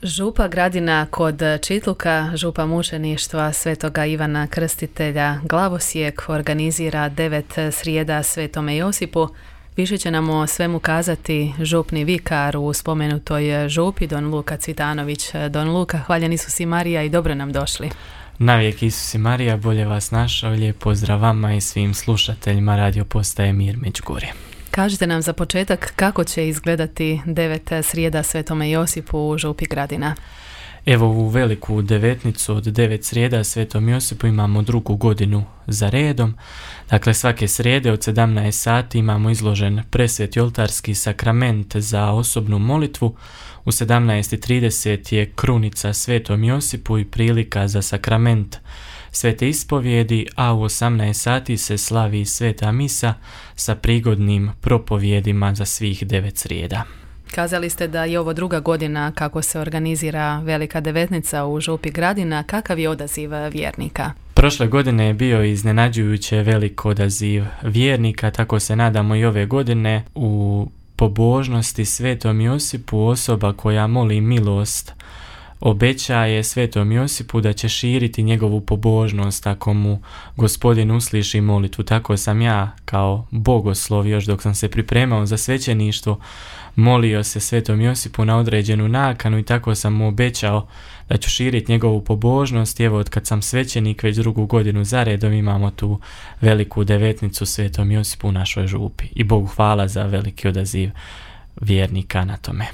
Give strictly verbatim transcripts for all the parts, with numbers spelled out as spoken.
Župa Gradina kod Čitluka, župa mučeništva Svetoga Ivana Krstitelja Glavosijek organizira devet srijeda Svetome Josipu. Više će nam o svemu kazati župni vikar u spomenutoj župi, don Luka Cvitanović. Don Luka, hvaljen Isus i Marija i dobro nam došli. Navijek Isus i Marija, bolje vas našao, lijep pozdrav vama i svim slušateljima radio postaje Mir Međugorje. Kažite nam za početak kako će izgledati devet srijeda Svetome Josipu u župi Gradina. Evo, u veliku devetnicu od devet srijeda Svetom Josipu imamo drugu godinu za redom. Dakle, svake srijede od sedamnaest sati imamo izložen presveti oltarski sakrament za osobnu molitvu. U sedamnaest i trideset je krunica Svetom Josipu i prilika za sakrament Svete ispovjedi, a u osamnaest sati se slavi Sveta misa sa prigodnim propovjedima za svih devet srijeda. Kazali ste da je ovo druga godina kako se organizira Velika devetnica u župi Gradina. Kakav je odaziv vjernika? Prošle godine je bio iznenađujuće velik odaziv vjernika, tako se nadamo i ove godine. U pobožnosti Svetom Josipu osoba koja moli milost obećaje Svetom Josipu da će širiti njegovu pobožnost ako mu Gospodin usliši molitvu. Tako sam ja kao bogoslov, još dok sam se pripremao za svećeništvo, molio se Svetom Josipu na određenu nakanu i tako sam mu obećao da ću širiti njegovu pobožnost. I evo, od kad sam svećenik već drugu godinu za redom imamo tu veliku devetnicu Svetom Josipu u našoj župi. I Bogu hvala za veliki odaziv vjernika na tome.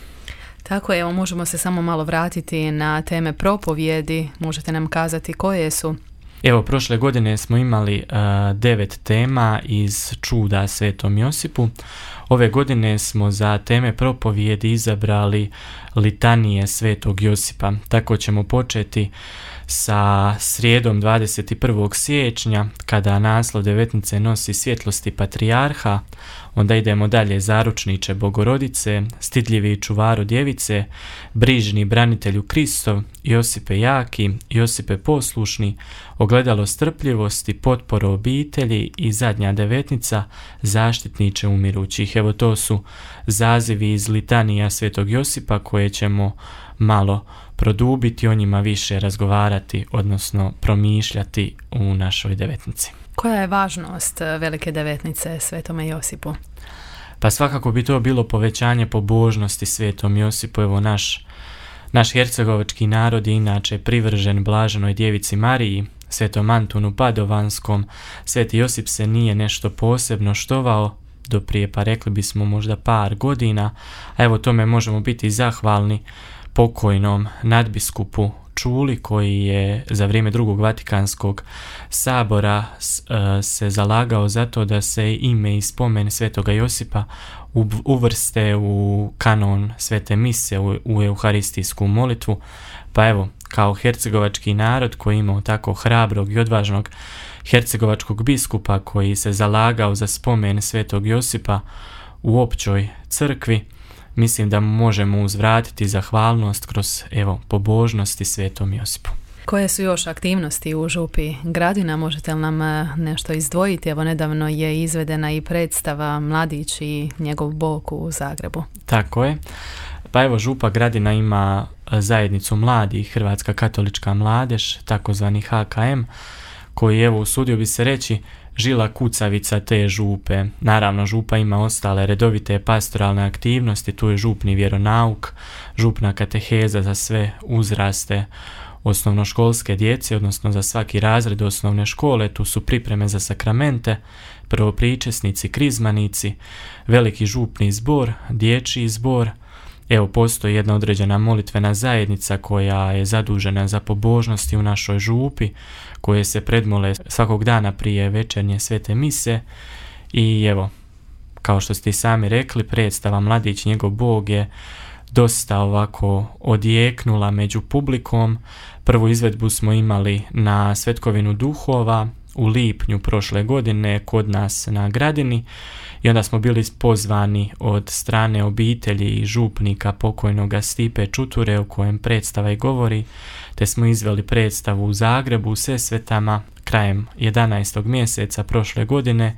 Tako je, evo, možemo se samo malo vratiti na teme propovjedi. Možete nam kazati koje su? Evo, prošle godine smo imali uh, devet tema iz čuda Svetom Josipu. Ove godine smo za teme propovjedi izabrali litanije Svetog Josipa. Tako ćemo početi sa srijedom dvadeset prvog siječnja, kada naslov devetnice nosi svjetlosti patrijarha. Onda idemo dalje: zaručniče Bogorodice, stidljivi čuvaru djevice, brižni branitelju Kristov, Josipe jaki, Josipe poslušni, ogledalo strpljivosti, potporo obitelji i zadnja devetnica, zaštitniče umirućih. Evo, to su zazivi iz litanija Svetog Josipa koje ćemo malo produbiti, o njima više razgovarati, odnosno promišljati u našoj devetnici. Koja je važnost Velike devetnice Svetome Josipu? Pa svakako bi to bilo povećanje pobožnosti Svetom Josipu. Evo, naš, naš hercegovački narod je inače privržen blaženoj djevici Mariji, Svetom Antunu Padovanskom. Sveti Josip se nije nešto posebno štovao do prije, pa rekli bismo možda par godina, a evo tome možemo biti zahvalni pokojnom nadbiskupu Čuli, koji je za vrijeme drugog Vatikanskog sabora se zalagao za to da se ime i spomen Svetoga Josipa uvrste u kanon Svete mise, u, u euharistijsku molitvu. Pa evo, kao hercegovački narod koji imao tako hrabrog i odvažnog hercegovačkog biskupa koji se zalagao za spomen Svetog Josipa u općoj crkvi, mislim da možemo uzvratiti zahvalnost kroz, evo, pobožnosti Svetom Josipu. Koje su još aktivnosti u župi Gradina? Možete li nam nešto izdvojiti? Evo, nedavno je izvedena i predstava Mladić i njegov Bog u Zagrebu. Tako je. Pa evo, župa Gradina ima zajednicu mladih, Hrvatska katolička mladež, takozvani H K M, koji, evo, usudio bi se reći, žila kucavica te župe. Naravno, župa ima ostale redovite pastoralne aktivnosti, tu je župni vjeronauk, župna kateheza za sve uzraste osnovnoškolske djece, odnosno za svaki razred osnovne škole, tu su pripreme za sakramente, prvopričesnici, krizmanici, veliki župni zbor, dječji zbor. Evo, postoji jedna određena molitvena zajednica koja je zadužena za pobožnosti u našoj župi, koje se predmole svakog dana prije večernje svete mise. I evo, kao što ste i sami rekli, predstava Mladić njegov Bog je dosta ovako odjeknula među publikom. Prvu izvedbu smo imali na Svetkovinu duhova u lipnju prošle godine kod nas na Gradini i onda smo bili pozvani od strane obitelji i župnika pokojnoga Stipe Čuture, u kojem predstava i govori, te smo izveli predstavu u Zagrebu u Sesvetama krajem jedanaestog mjeseca prošle godine.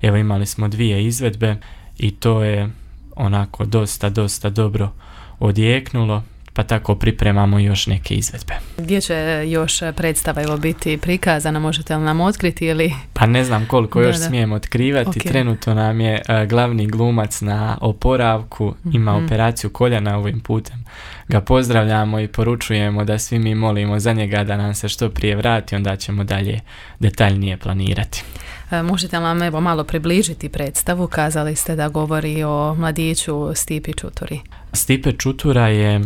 Evo, imali smo dvije izvedbe i to je onako dosta, dosta dobro odjeknulo. pa tako pripremamo još neke izvedbe. Gdje će još predstava evo biti prikazana, možete li nam otkriti ili... Pa ne znam koliko još da, da. smijem otkrivati, Okay. Trenutno nam je uh, glavni glumac na oporavku, mm-hmm. ima operaciju koljena, ovim putem ga pozdravljamo i poručujemo da svi mi molimo za njega da nam se što prije vrati, onda ćemo dalje detaljnije planirati. Možete li nam evo malo približiti predstavu? Kazali ste da govori o mladiću Stipi Čuturi. Stipe Čutura je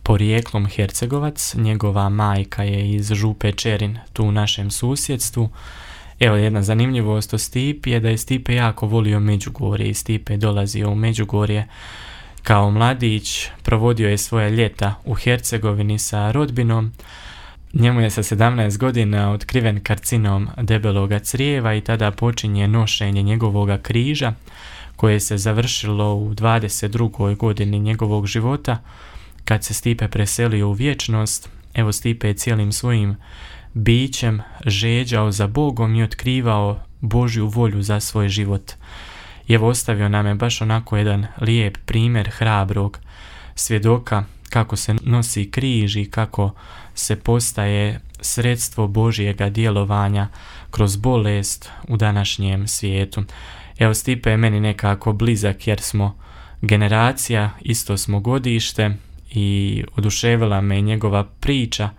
porijeklom Hercegovac, njegova majka je iz Župe Čerin, tu u našem susjedstvu. Evo jedna zanimljivost o Stipi je da je Stipe jako volio Međugorje i Stipe je dolazio u Međugorje kao mladić, provodio je svoje ljeta u Hercegovini sa rodbinom. Njemu je sa sedamnaest godina otkriven karcinom debeloga crijeva i tada počinje nošenje njegovoga križa koje se završilo u dvadeset drugoj godini njegovog života kad se Stipe preselio u vječnost. Evo Stipe je cijelim svojim bićem žeđao za Bogom i otkrivao Božju volju za svoj život. I evo ostavio nam je baš onako jedan lijep primjer hrabrog svjedoka kako se nosi križ i kako se postaje sredstvo Božjega djelovanja kroz bolest u današnjem svijetu. Evo Stipe je meni nekako blizak jer smo generacija, isto smo godište i oduševila me njegova priča.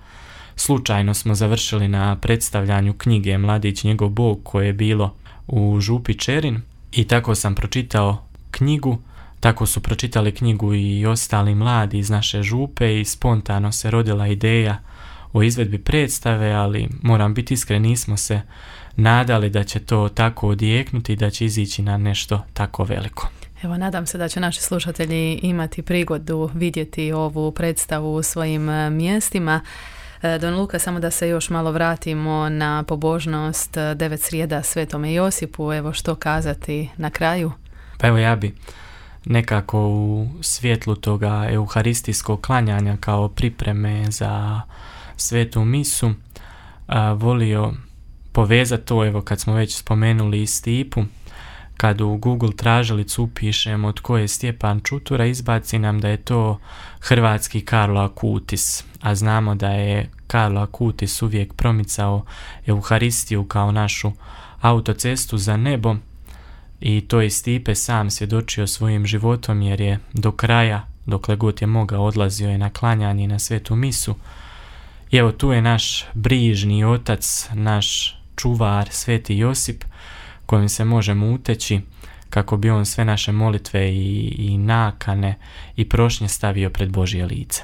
Slučajno smo završili na predstavljanju knjige Mladić njegov Bog koje je bilo u Župi Čerin i tako sam pročitao knjigu. Tako su pročitali knjigu i ostali mladi iz naše župe i spontano se rodila ideja o izvedbi predstave, ali moram biti iskren, nismo se nadali da će to tako odjeknuti i da će izići na nešto tako veliko. Evo, nadam se da će naši slušatelji imati prigodu vidjeti ovu predstavu u svojim mjestima. Don Luka, samo da se još malo vratimo na pobožnost devet srijeda Svetome Josipu. Evo, što kazati na kraju? Pa evo ja bi nekako u svjetlu toga euharistijskog klanjanja kao pripreme za svetu misu a, volio povezati to, evo kad smo već spomenuli i Stipu, kad u Google tražilicu upišemo tko je Stjepan Čutura, izbaci nam da je to hrvatski Karlo Akutis, a znamo da je Karlo Akutis uvijek promicao euharistiju kao našu autocestu za nebo. I to je Stipe sam svjedočio svojim životom jer je do kraja, dokle god je mogao, odlazio je na klanjanje na svetu misu. I evo tu je naš brižni otac, naš čuvar, Sveti Josip, kojim se možemo uteći kako bi on sve naše molitve i, i nakane i prošnje stavio pred Božje lice.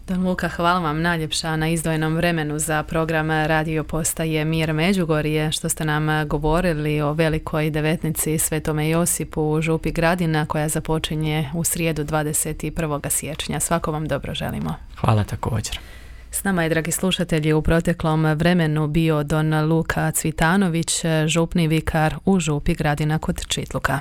Don Luka, hvala vam najljepša na izdvojenom vremenu za program Radio Postaje Mir Međugorje, što ste nam govorili o velikoj devetnici Svetome Josipu u Župi Gradina koja započinje u srijedu dvadeset prvog siječnja. Svako vam dobro želimo. Hvala također. S nama je, dragi slušatelji, u proteklom vremenu bio Don Luka Cvitanović, župni vikar u Župi Gradina kod Čitluka.